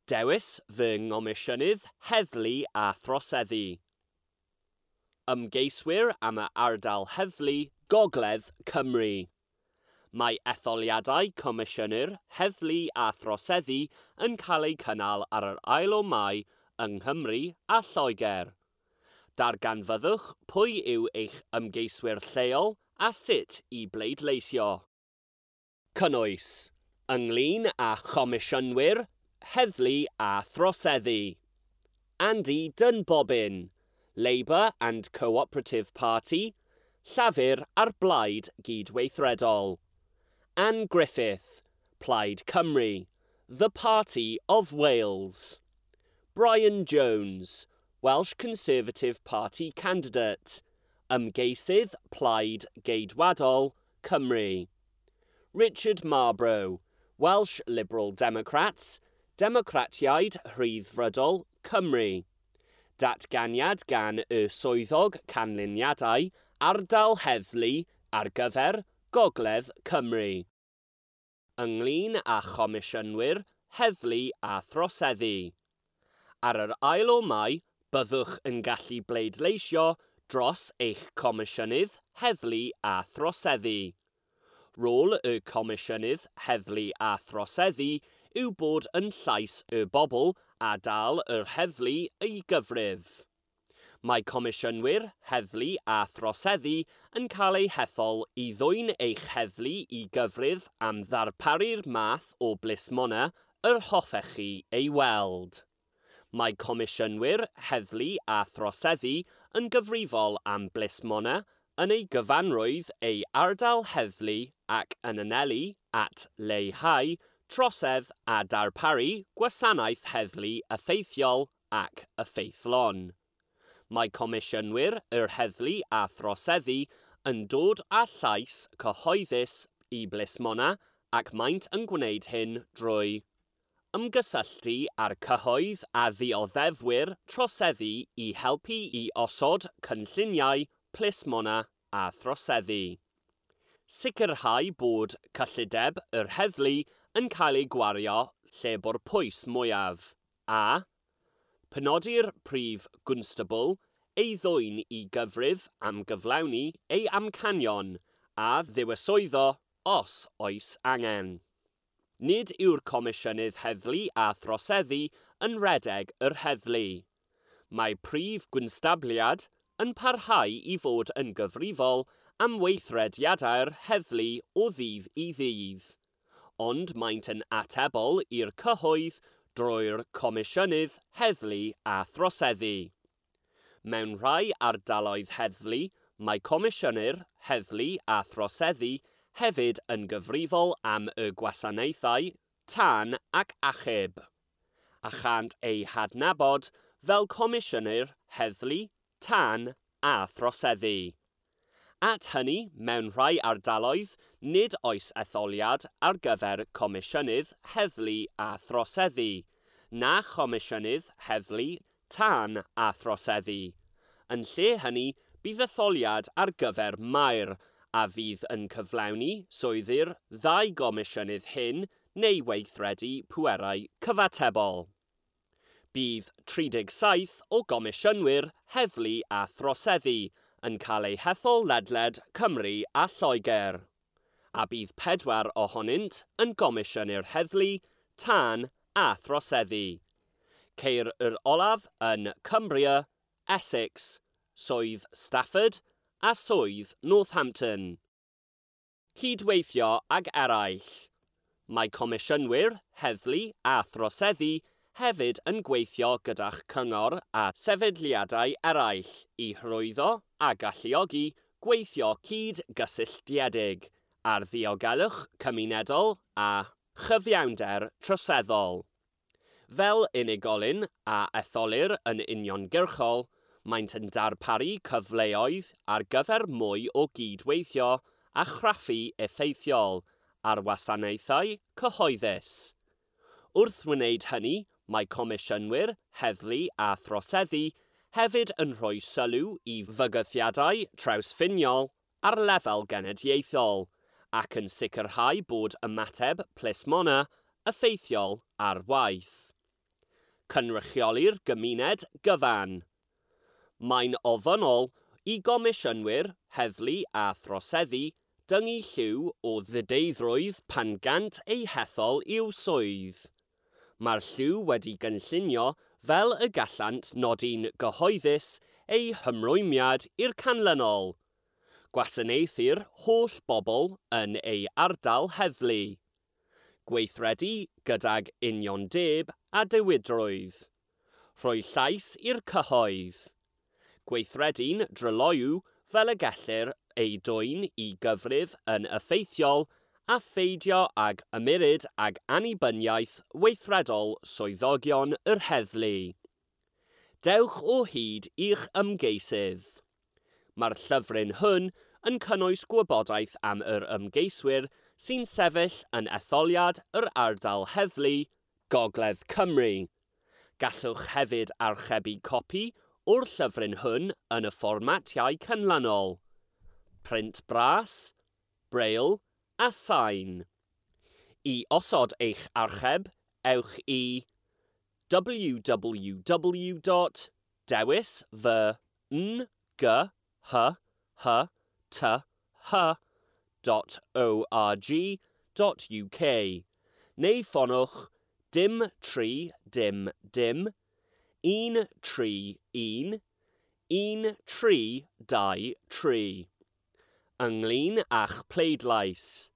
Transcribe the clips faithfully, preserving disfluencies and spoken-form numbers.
Dewis fy Ngomisiynydd Heddlu a Throseddu. Ymgeiswyr am y ardal heddlu Gogledd Cymru. Mae etholiadau Comisiynwyr Heddlu a Throseddu yn cael eu cynnal ar yr ail o Mai yng Nghymru a Lloegr. Darganfyddwch pwy yw eich ymgeiswyr lleol a sut i bleidleisio. Cynnwys: ynglyn â Chomisiynwyr Heddlu a Throseddu. Andy Dunbobbin, Labour and Cooperative Party, Llafur a'r Blaid Gydweithredol. Ann Griffith, Plaid Cymru, The Party of Wales. Brian Jones, Welsh Conservative Party candidate, Ymgeisydd Plaid Geidwadol, Cymru. Richard Marbrow, Welsh Liberal Democrats, Democratiaid Rhyddfrydol, Cymru. Datganiad gan y Swyddog Canlyniadau Ardal Heddlu ar gyfer Gogledd Cymru. Ynglyn â Chomisiynwyr Heddlu a Throseddu. Ar yr ail o Mai, byddwch yn gallu bleidleisio dros eich Comisiynydd Heddlu a Throseddu. Rôl y Comisiynydd Heddlu a Throseddu yw bod yn llais y bobl a dal yr heddlu i gyfrif. Mae Comisiynwyr Heddlu a Throseddu yn cael eu hethol i ddwyn eich heddlu i gyfrif am ddarparu'r math o blismona yr hoffech chi ei weld. Mae Comisiynwyr Heddlu a Throseddu yn gyfrifol am blismona yn ei gyfanrwydd ei ardal heddlu ac yn anelu at leihau trosedd a darparu gwasanaeth heddlu effeithiol ac effeithlon. Mae Comisiynwyr yr Heddlu a Throseddu yn dod â llais cyhoeddus i blismona ac maent yn gwneud hyn drwy ymgysylltu â'r cyhoedd a ddioddefwyr troseddu i helpu i osod cynlluniau plismona a throseddu. Sicrhau bod cyllideb yr heddlu yn cael ei gwario lle bo'r pwys mwyaf, a penodi'r prif gwnstabl ei ddwyn i gyfrif am gyflawni ei amcanion a ddiwyswyddo os oes angen. Nid yw'r Comisiynydd Heddlu a Throseddu yn rhedeg yr heddlu. Mae prif gwnstabliad yn parhau i fod yn gyfrifol am weithrediadau'r heddlu o ddydd i ddydd, ond maent yn atebol i'r cyhoedd drwy'r Comisiynydd Heddlu a Throseddu. Mewn rhai ardaloedd heddlu, mae Comisiynwyr Heddlu a Throseddu hefyd yn gyfrifol am y gwasanaethau tân ac achub, a chant eu hadnabod fel Comisiynwyr Heddlu, Tân a Throseddu. At hynny, mewn rhai ardaloedd, nid oes etholiad ar gyfer Comisiynydd Heddlu a Throseddu, na Chomisiynydd Heddlu, Tân a Throseddu. Yn lle hynny, bydd etholiad ar gyfer maer, a fydd yn cyflawni swyddi'r ddau gomisiynydd hyn neu weithredu pwerau cyfatebol. Bydd tri deg saith o gomisiynwyr heddlu a throseddu yn cael eu hethol ledled Cymru a Lloegr, a bydd pedwar ohonynt yn gomisiynwyr heddlu, tân a throseddu. Ceir yr olaf yn Cumbria, Essex, Swydd Stafford a Swydd Northampton. Cydweithio ag eraill. Mae Comisiynwyr Heddlu a Throseddu hefyd yn gweithio gyda'ch cyngor a sefydliadau eraill i hyrwyddo a galluogi gweithio cyd-gysylltiedig ar ddiogelwch cymunedol a chyfiawnder troseddol. Fel unigolyn a etholir yn uniongyrchol, maent yn darparu cyfleoedd ar gyfer mwy o gydweithio a chraffu effeithiol ar wasanaethau cyhoeddus. Wrth wneud hynny, mae Comisiynwyr Heddlu a Throseddu hefyd yn rhoi sylw i fygythiadau trawsffiniol ar lefel genedlaethol ac yn sicrhau bod ymateb plismona effeithiol ar waith. Cynrychioli'r gymuned gyfan. Mae'n ofynnol i gomisiynwyr, heddlu a throseddu dyngu lliw o ddideiddrwydd pan gant eu hethol i'w swydd. Mae'r lliw wedi gynllunio fel y gallant nodi'n gyhoeddus eu hymrwymiad i'r canlynol. Gwasanaethu'r holl bobl yn ei ardal heddlu. Gweithredu gydag uniondeb a diwydrwydd. Rhoi llais i'r cyhoedd. Gweithredu'n dryloyw fel y gellir ei dwyn i gyfrif yn effeithiol a pheidio ag ymyrryd ag annibyniaeth weithredol swyddogion yr heddlu. Dewch o hyd i'ch ymgeisydd. Mae'r llyfryn hwn yn cynnwys gwybodaeth am yr ymgeiswyr sy'n sefyll yn etholiad yr ardal heddlu, Gogledd Cymru. Gallwch hefyd archebu copi o'r llyfryn hwn yn y fformatiau canlynol: print bras, braille a sain. I osod eich archeb, ewch i w w w dot dewis fy n g h h t h dot org dot u k neu ffonwch dim tri dim dim un tri un un tri dau tri. Ynglyn â'ch pleidlais.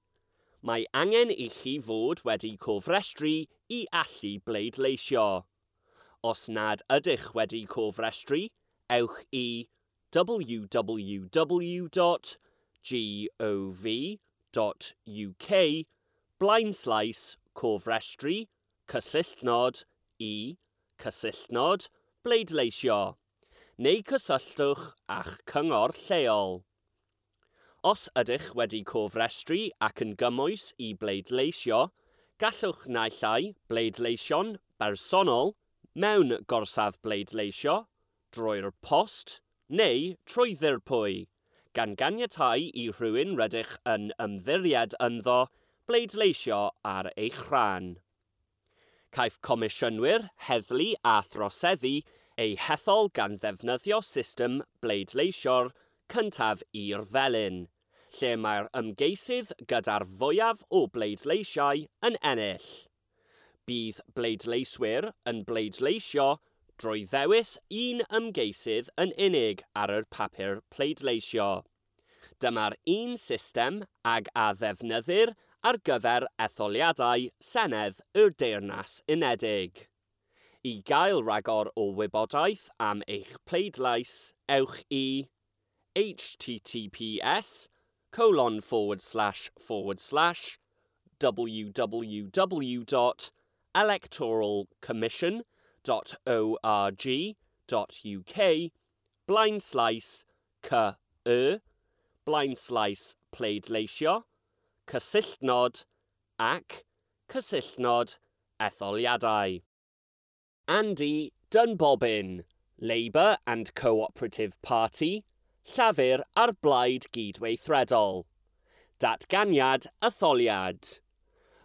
Mae angen i chi fod wedi cofrestru i allu bleidleisio. Os nad ydych wedi cofrestru, ewch i w w w dot gov dot u k blaenslaes cofrestru cysylltnod i cysylltnod bleidleisio, neu cysylltwch â'ch cyngor lleol. Os ydych wedi cofrestru ac yn gymwys i bleidleisio, gallwch naill ai bleidleisio'n bersonol mewn gorsaf bleidleisio, drwy'r post neu trwy ddirprwy, gan ganiatáu i rhywun rydych yn ymddiried ynddo bleidleisio ar eich rhan. Caiff comisiynwyr, heddlu a throseddu eu hethol gan ddefnyddio system bleidleisio'r cyntaf i'r felin, lle mae'r ymgeisydd gyda'r fwyaf o bleidleisiau yn ennill. Bydd bleidleiswyr yn bleidleisio drwy ddewis un ymgeisydd yn unig ar yr papur pleidleisio. Dyma'r un system ag a ddefnyddir ar gyfer etholiadau Senedd y Deyrnas Unedig. I gael rhagor o wybodaeth am eich pleidlais, ewch i h t t p s colon forward slash forward slash w w w dot electoral commission dot org dot u k blaenslaes c y blaenslaes pleidleisio cysylltnod ac cysylltnod etholiadau. Andy Dunbobbin, Labour and Cooperative Party, Llafur a'r Blaid Gydweithredol. Datganiad etholiad.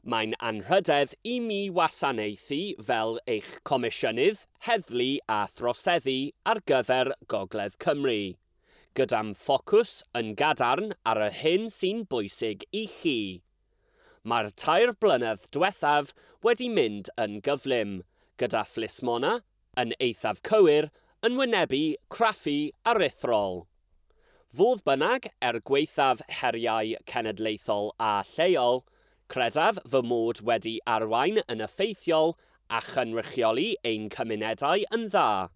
Mae'n anrhydedd i mi wasanaethu fel eich comisiynydd, heddlu a throseddu ar gyfer Gogledd Cymru, gyda'm ffocws yn gadarn ar yr hyn sy'n bwysig i chi. Mae'r tair blynedd diwethaf wedi mynd yn gyflym, gyda phlismona, yn eithaf cywir, yn wynebu craffu aruthrol. Fodd bynnag, er gwaethaf heriau cenedlaethol a lleol, credaf fy mod wedi arwain yn effeithiol a chynrychioli ein cymunedau yn dda.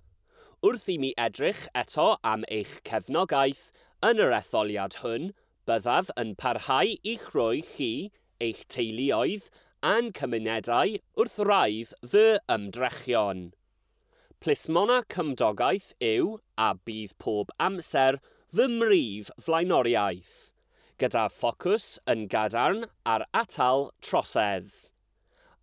Wrth i mi edrych eto am eich cefnogaeth yn yr etholiad hwn, byddaf yn parhau i'ch rhoi chi, eich teuluoedd a'n cymunedau wrth wraidd fy ymdrechion. Plismona cymdogaeth yw, a bydd pob amser, fy mhrif flaenoriaeth, gyda ffocws yn gadarn ar atal trosedd.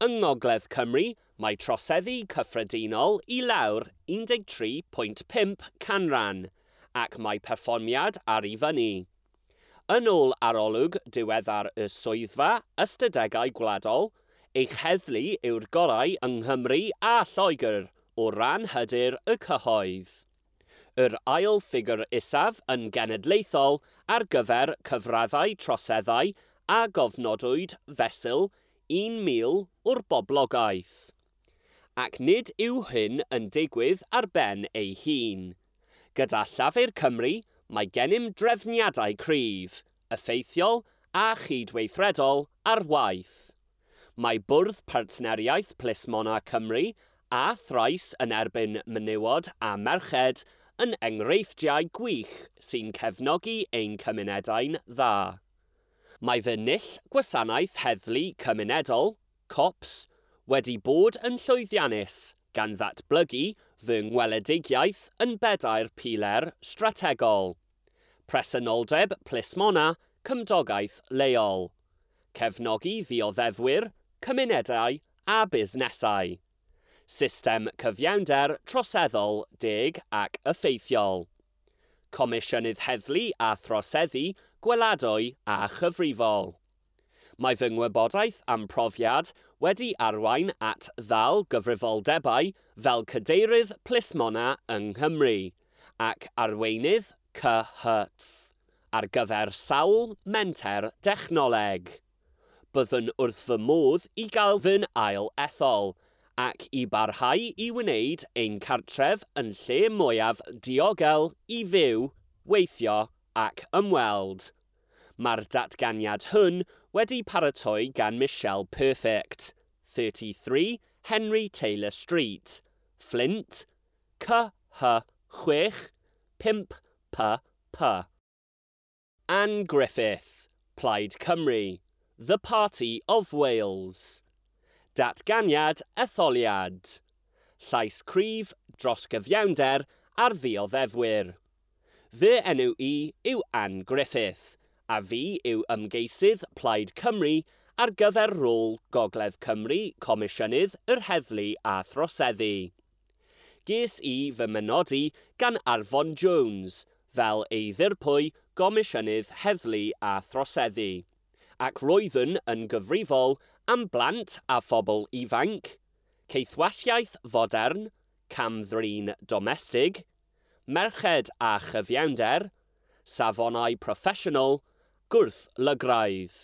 Yng Ngogledd Cymru, mae troseddu cyffredinol i lawr un deg tri pwynt pump canran, ac mae perfformiad ar i fyny. Yn ôl arolwg diweddar y Swyddfa Ystadegau Gwladol, eich heddlu yw'r gorau yng Nghymru a Lloegr o ran hyder y cyhoedd. Yr ail ffigur isaf yn genedlaethol ar gyfer cyfraddau troseddau a gofnodwyd fesul un mil o'r boblogaeth. Ac nid yw hyn yn digwydd ar ben ei hun. Gyda Llafur Cymru, mae gennym drefniadau cryf, effeithiol a chydweithredol ar waith. Mae Bwrdd Partneriaeth Plismona Cymru a thrais yn erbyn menywod a merched yn enghreifftiau gwych sy'n cefnogi ein cymunedau'n dda. Mae fy null gwasanaeth heddlu cymunedol, COPS, wedi bod yn llwyddiannus gan ddatblygu fy ngweledigaeth yn bedair piler strategol. Presenoldeb plismona, cymdogaeth leol. Cefnogi ddioddefwyr, cymunedau a busnesau. System cyfiawnder troseddol deg ac effeithiol. Comisiynydd Heddlu a Throseddu gweladwy a chyfrifol. Mae fy ngwybodaeth am profiad wedi arwain at ddal gyfrifoldebau fel cadeirydd plismona yng Nghymru ac arweinydd C H T ar gyfer sawl menter dechnoleg. Byddwn wrth fy modd i gael fy ail ethol ac i barhau i wneud ein cartref yn lle mwyaf diogel i fyw, weithio ac ymweld. Mae'r datganiad hwn wedi paratoi gan Michelle Perfect, thirty-three Henry Taylor Street, Flint, C H chwech pump P P. Ann Griffith, Plaid Cymru, The Party of Wales. Datganiad etholiad. Llais cryf dros gyfiawnder ar ddioddefwyr. Fy enw i yw Ann Griffith, a fi yw ymgeisydd Plaid Cymru ar gyfer rôl Gogledd Cymru Comisiynydd yr Heddlu a Throseddu. Ges i fy mynodi gan Arfon Jones fel ei ddirprwy Gomisiynydd Heddlu a Throseddu, ac roeddwn yn gyfrifol am blant a phobl ifanc, caethwasiaeth fodern, camddrin domestig, merched a chyfiawnder, safonau proffesiynol, gwrth-lygraidd.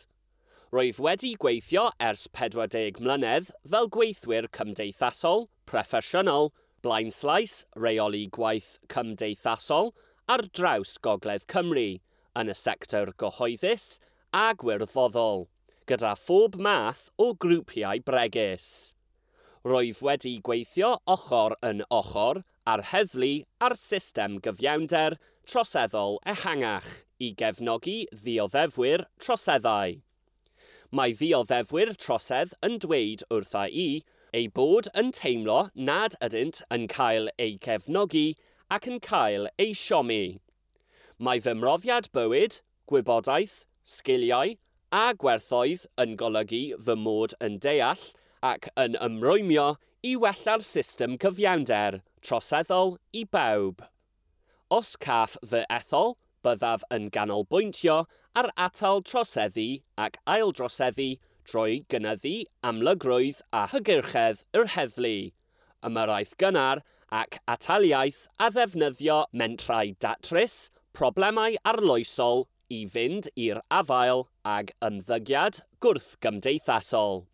Roedd wedi gweithio ers pedwar deg mlynedd fel gweithwyr cymdeithasol, proffesiynol, blaenslaes, rheoli gwaith cymdeithasol ar draws Gogledd Cymru, yn y sector gyhoeddus a gwirfoddol, gyda phob math o grwpiau bregus. Roedd wedi gweithio ochr yn ochr ar heddlu a'r system gyfiawnder troseddol ehangach i gefnogi ddioddefwyr troseddau. Mae ddioddefwyr trosedd yn dweud wrtha i eu bod yn teimlo nad ydynt yn cael eu cefnogi ac yn cael eu siomi. Mae fy mhrofiad bywyd, gwybodaeth, sgiliau a gwerthoedd yn golygu fy mod yn deall ac yn ymrwymio i wella'r system cyfiawnder troseddol i bawb. Os caff fy ethol, byddaf yn ganolbwyntio ar atal troseddu ac aildroseddu drwy gynyddu amlygrwydd a hygyrchedd yr heddlu, ymyrraeth gynnar ac ataliaeth a ddefnyddio mentrau datrys problemau arloesol i fynd i'r afael ag ymddygiad gwrthgymdeithasol.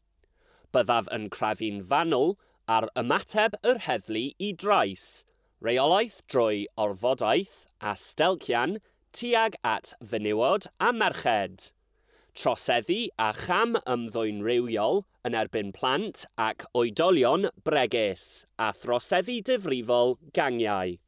Byddaf yn crafu'n fanwl ar ymateb yr heddlu i drais, reolaeth drwy orfodaeth a stelcian tuag at fenywod a merched. Troseddu a cham ymddwyn rhywiol yn erbyn plant ac oedolion bregus a throseddu difrifol gangiau.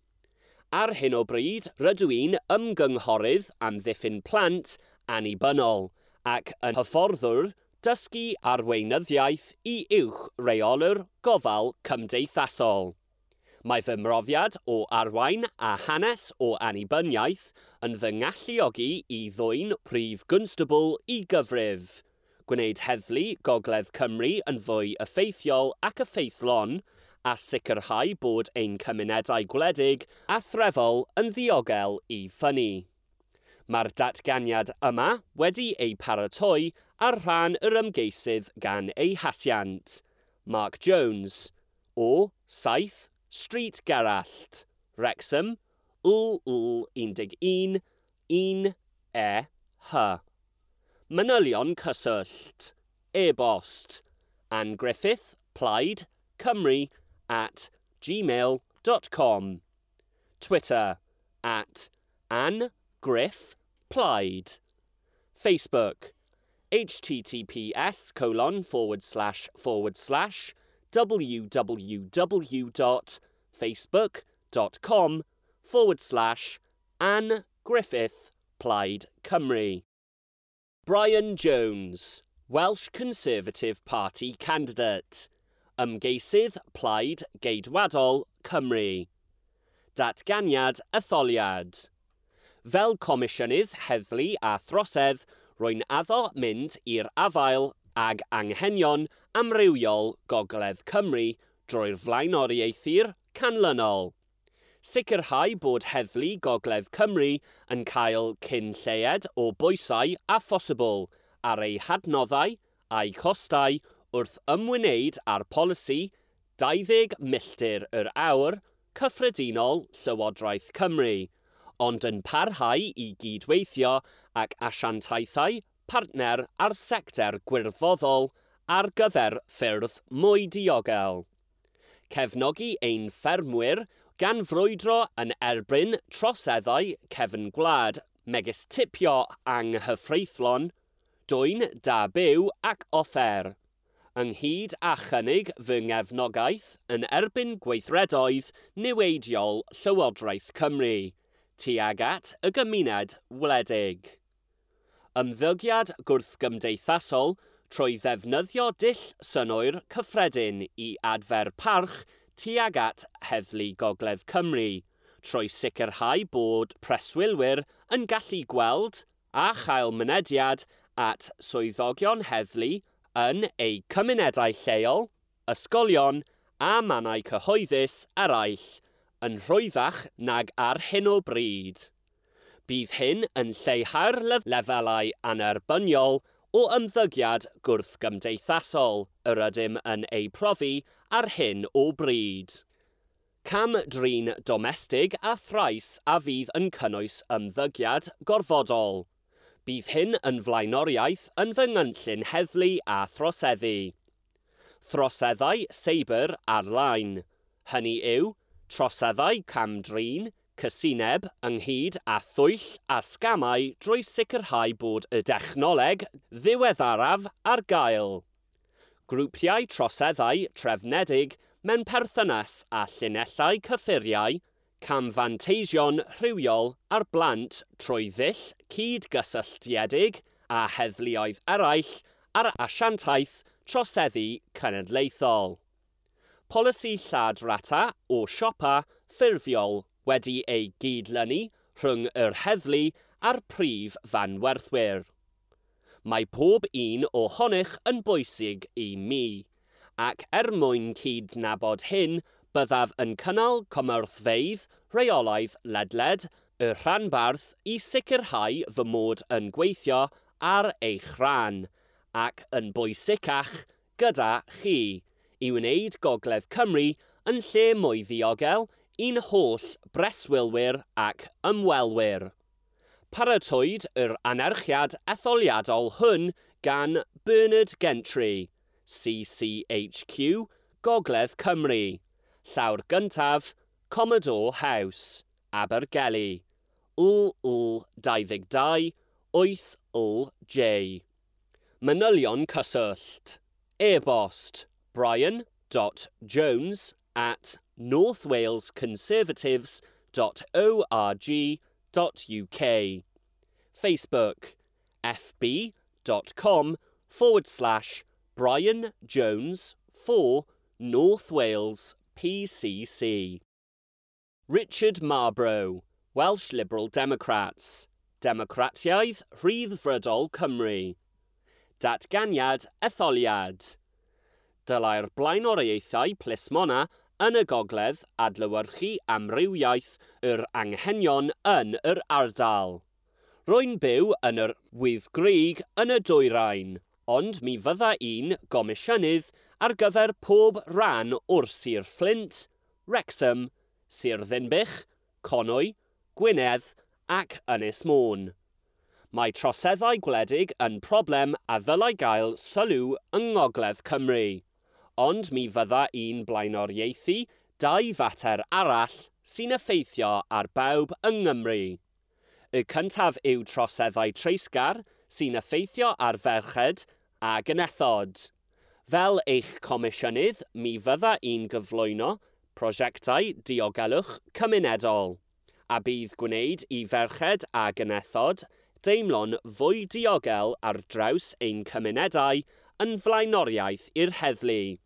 Ar hyn o bryd, rydw i'n ymgynghorydd amddiffyn plant annibynnol ac yn hyfforddwr dysgu arweinyddiaeth i uwch reolwr gofal cymdeithasol. Mae fy mhrofiad o arwain a hanes o annibyniaeth yn fy ngalluogi i ddwyn prif gwnstabl i gyfrif, gwneud heddlu Gogledd Cymru yn fwy effeithiol ac effeithlon, a sicrhau bod ein cymunedau gwledig a threfol yn ddiogel i ffynnu. Mae'r datganiad yma wedi ei paratoi ar rhan yr ymgeisydd gan ei hasiant, Mark Jones, o saith Street Gerallt, Wrexham, L L un un un E H. Manylion cyswllt. E-bost. Ann Griffith, Plaid, Cymru, at gmail dot com. Twitter, at Ann Griff Plaid. Facebook, https colon forward slash forward slash www dot facebook dot com forward slash Ann Griffith Plaid Cymru. Brian Jones, Welsh Conservative Party candidate. Ymgeisydd Plaid Geidwadol Cymru. Datganiad etholiad. Fel Comisiynydd Heddlu a Throsedd, rwy'n addo mynd i'r afael ag anghenion amrywiol Gogledd Cymru drwy'r flaenoriaethu'r canlynol. Sicrhau bod Heddlu Gogledd Cymru yn cael cyn lleied o bwysau a phosibl ar ei hadnoddau a'i costau wrth ymwneud â'r polisi dau ddeg milltir yr awr cyffredinol Llywodraeth Cymru, ond yn parhau i gydweithio ac asiantaethau partner a'r sector gwirfoddol ar gyfer ffyrdd mwy diogel. Cefnogi ein ffermwyr gan frwydro yn erbyn troseddau cefn gwlad megis tipio anghyfreithlon, dwyn da byw ac offer, ynghyd â chynnig fy ngefnogaeth yn erbyn gweithredoedd niweidiol Llywodraeth Cymru, tuag at y gymuned wledig. Ymddygiad gwrthgymdeithasol trwy ddefnyddio dull synnwyr cyffredin i adfer parch tuag at Heddlu Gogledd Cymru, trwy sicrhau bod preswylwyr yn gallu gweld a chael mynediad at swyddogion heddlu yn eu cymunedau lleol, ysgolion a mannau cyhoeddus eraill yn rhwyddach nag ar hyn o bryd. Bydd hyn yn lleihau'r lefelau annerbyniol o ymddygiad gwrthgymdeithasol yr ydym yn ei profi ar hyn o bryd. Cam drin domestig a thrais a fydd yn cynnwys ymddygiad gorfodol. Bydd hyn yn flaenoriaeth yn fy ngynllun heddlu a throseddu. Throseddau seibr ar-lein. Hynny yw, troseddau cam-drin, cysineb ynghyd â thwyll a sgamau drwy sicrhau bod y dechnoleg ddiweddaraf ar gael. Grwpiau troseddau trefnedig mewn perthynas â llinellau cyffuriau, camfanteision rhywiol ar blant trwy ddull cydgysylltiedig a heddluoedd eraill ar asiantaeth troseddu cenedlaethol. Polisi lladrata o siopa ffurfiol wedi ei gydlynu rhwng yr heddlu a'r prif fanwerthwyr. Mae pob un ohonych yn bwysig i mi, ac er mwyn cydnabod hyn, byddaf yn cynnal cymorthfeydd rheolaidd ledled y rhanbarth i sicrhau fy mod yn gweithio ar eich rhan, ac yn bwysicach gyda chi, i wneud Gogledd Cymru yn lle mwy ddiogel i'n holl breswylwyr ac ymwelwyr. Paratowyd yr anerchiad etholiadol hwn gan Bernard Gentry, C C H Q, Gogledd Cymru, llawr gyntaf, Commodore House, Abergele, L L dau dau wyth L J. Manylion cyswllt. E-bost brian dot jones at north wales conservatives dot org dot U K. Facebook fb dot com forward slash Brian Jones for North Wales P C C. Richard Marbrow, Welsh Liberal Democrats, Democratiaeth Rhyddfrydol Cymru. Datganiad etholiad. Dylai'r blaenoriaethau plismona yn y gogledd adlewyrchu amrywiaeth yr anghenion yn yr ardal. Rwy'n byw yn yr Wyddgrug yn y dwyrain, ond mi fydda i'n gomisiynydd ar gyfer pob rhan o'r Sir Fflint, Wrexham, Sir Ddinbych, Conwy, Gwynedd ac Ynys Môn. Mae troseddau gwledig yn problem a ddylai gael sylw yng Ngogledd Cymru, ond mi fydda i'n blaenoriaethu dau fater arall sy'n effeithio ar bawb yng Nghymru. Y cyntaf yw troseddau treisgar sy'n effeithio ar ferched a genethod. Fel eich comisiynydd, mi fydda i'n gyflwyno prosiectau diogelwch cymunedol, a bydd gwneud i ferched a genethod deimlo'n fwy diogel ar draws ein cymunedau yn flaenoriaeth i'r heddlu.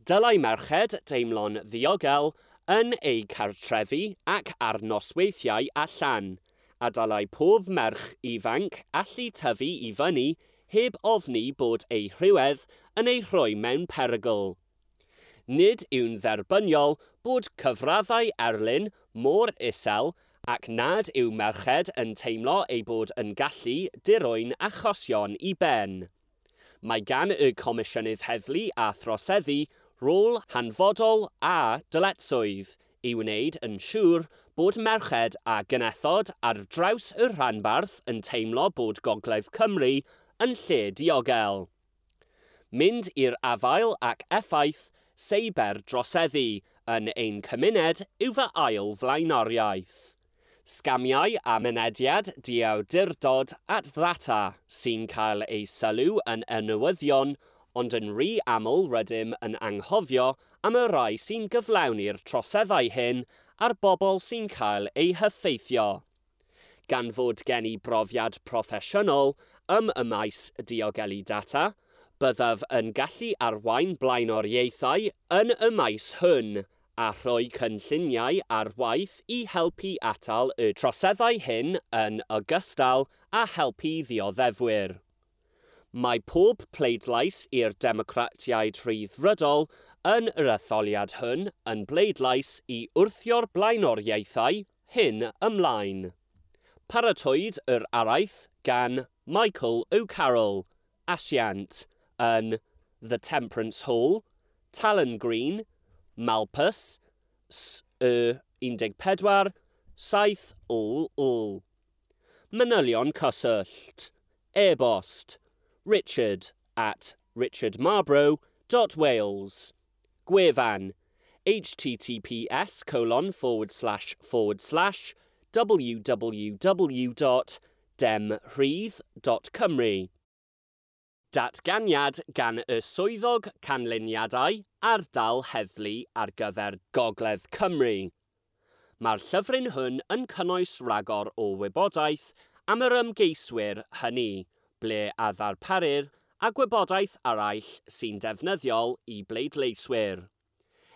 Dylai merched deimlo'n ddiogel yn eu cartrefi ac ar nosweithiau allan, a dylai pob merch ifanc allu tyfu i fyny heb ofni bod ei rhywedd yn ei rhoi mewn perygl. Nid yw'n dderbyniol bod cyfraddau erlyn mor isel ac nad yw merched yn teimlo ei bod yn gallu dirwyn achosion i ben. Mae gan y Comisiynydd Heddlu a Throseddu rôl hanfodol a dyletswydd i wneud yn siŵr bod merched a genethod ar draws y rhanbarth yn teimlo bod Gogledd Cymru yn lle diogel. Mynd i'r afael ac effaith seiber droseddu yn ein cymuned yw fy ail flaenoriaeth. Sgamiau a mynediad diawdurdod at ddata sy'n cael ei sylw yn y newyddion, ond yn rhy aml rydym yn anghofio am y rhai sy'n gyflawni'r troseddau hyn a'r bobl sy'n cael eu heffeithio. Gan fod gen i brofiad proffesiynol ym y maes diogelu data, byddaf yn gallu arwain blaenoriaethau yn y maes hwn a rhoi cynlluniau ar waith i helpu atal y troseddau hyn yn ogystal â helpu ddioddefwyr. Mae pob pleidlais i'r Democratiaid Rhyddfrydol yn yr etholiad hwn yn bleidlais i wrthio'r blaenoriaethau hyn ymlaen. Paratowyd yr araith gan Michael O'Carroll, asiant, yn The Temperance Hall, Talon Green, Malpas, S Y un deg pedwar, saith L L. Manylion cyswllt. E-bost. Richard at richardmarborough dot wales. Gwefan. https colon forward slash forward slash www dot demrhydd dot cymru. Datganiad gan y Swyddog Canlyniadau Ardal Heddlu ar gyfer Gogledd Cymru. Mae'r llyfryn hwn yn cynnwys rhagor o wybodaeth am yr ymgeiswyr hynny, ble a ddarparir a gwybodaeth arall sy'n defnyddiol i bleidleiswyr.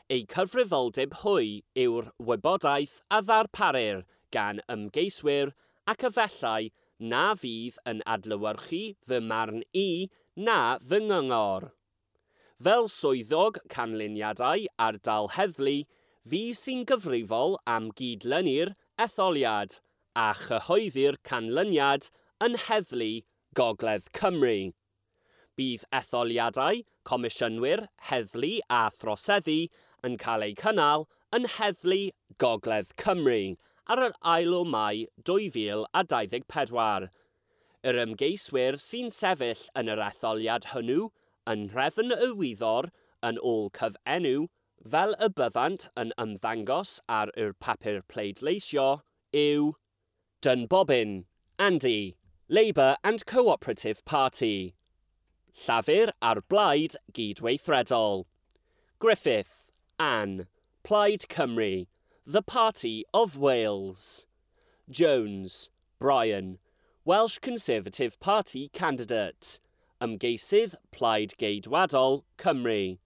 Eu cyfrifoldeb hwy yw'r wybodaeth a ddarparir gan ymgeiswyr ac efallai na fydd yn adlewyrchu fy marn i na fy nghyngor. Fel swyddog canlyniadau ardal heddlu, fi sy'n gyfrifol am gydlynu'r etholiad a chyhoeddi'r canlyniad yn Heddlu Gogledd Cymru. Bydd etholiadau, comisiynwyr, heddlu a throseddu yn cael eu cynnal yn Heddlu Gogledd Cymru ar yr ail o Mai dwy fil a dau ddeg pedwar. Yr ymgeiswyr sy'n sefyll yn yr etholiad hwnnw yn nhrefn y wyddor yn ôl cyfenw fel y byddant yn ymddangos ar yr papur pleidleisio yw Dunbobbin, Andy, Labour and Cooperative Party, Llafur a'r Blaid Gydweithredol, Griffith, Anne, Plaid Cymru, The Party of Wales, Jones, Brian, Welsh Conservative Party candidate, Ymgeisydd Plaid Geidwadol Cymru,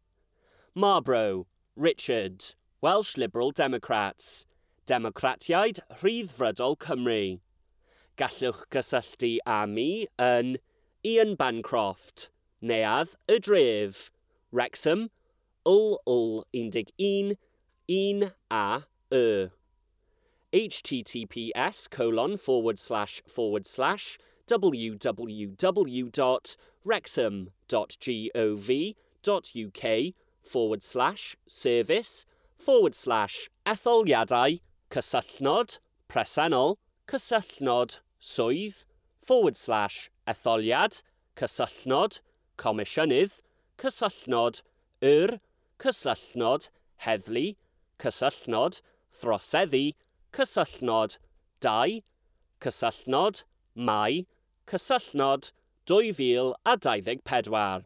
Marborough, Richard, Welsh Liberal Democrats, Democratiaid Rhyddfrydol Cymru. Gallwch gysylltu â mi yn Ian Bancroft, Neuadd y Dref, Wrexham, L L un deg un, un A Y. https colon forward slash forward slash www dot wrexham dot gov dot uk forward slash service forward slash etholiadau cysylltnod presennol cysylltnod swydd forward slash etholiad cysylltnod comisiynydd cysylltnod yr cysylltnod heddlu cysylltnod throseddu cysylltnod dau cysylltnod Mai cysylltnod dwy fil a dau ddeg pedwar.